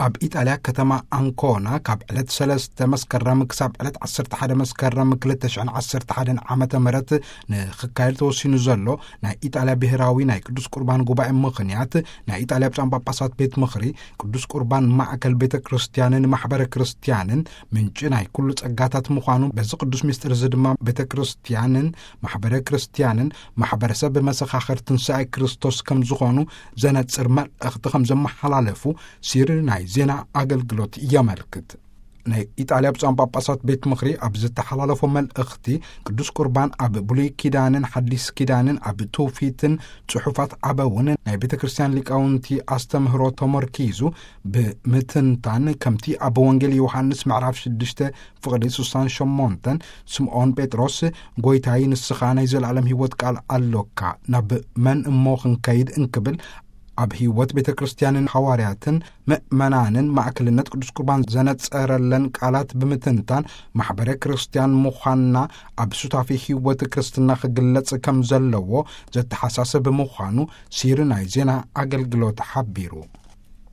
ኣብ ኢጣልያ ከተማ ኣንኮና ካብ ዕለት ሰለስተ መስከረም ክሳብ ዕለት ዓሰርተ ሓደ መስከረም ክልተ ሽሕን ዓሰርተ ሓደን ዓመተ ምህረት ንኽካየድ ተወሲኑ ዘሎ ናይ ኢጣልያ ብሔራዊ ናይ ቅዱስ ቁርባን ጉባኤ ምኽንያት፣ ናይ ኢጣልያ ብፁዓን ጳጳሳት ቤት ምኽሪ ቅዱስ ቁርባን ማእከል ቤተ ክርስቲያንን ማሕበረ ክርስቲያንን ምንጪ ናይ ኩሉ ጸጋታት ምዃኑ፣ በዚ ቅዱስ ምስጢር እዚ ድማ ቤተ ክርስቲያንን ማሕበረ ክርስቲያንን ማሕበረሰብ መሰኻኽር ትንሳኤ ክርስቶስ ከም ዝኾኑ ዘነጽር መልእኽቲ ከም ዘመሓላለፉ ሲር ናይ ዜና ኣገልግሎት የመልክት። ናይ ኢጣልያ ብፁዓን ጳጳሳት ቤት ምኽሪ ኣብ ዝተሓላለፎ መልእኽቲ፣ ቅዱስ ቁርባን ኣብ ብሉይ ኪዳንን ሓዲስ ኪዳንን ኣብ ትውፊትን ጽሑፋት ኣበውን ናይ ቤተ ክርስቲያን ሊቃውንቲ ኣስተምህሮ ተመርኪዙ ብምትንታን፣ ከምቲ ኣብ ወንጌል ዮሃንስ ምዕራፍ ሽዱሽተ ፍቕዲ ስሳን ሸሞንተን ስምዖን ጴጥሮስ፣ "ጎይታይ፣ ንስኻ ናይ ዘለኣለም ህይወት ቃል ኣሎካ፣ ናብ መን እሞ ክንከይድ?" እንክብል፣ ኣብ ህይወት ቤተ ክርስቲያንን ሓዋርያትን ምእመናንን ማእከልነት ቅዱስ ቁርባን ዘነጸረለን ቃላት ብምትንታን፣ ማሕበረ ክርስቲያን ምዃንና ኣብ ሱታፌ ህይወት ክርስትና ክግለጽ ከም ዘለዎ ዘተሓሳስብ ምዃኑ ሲር ናይ ዜና ኣገልግሎት ሓቢሩ።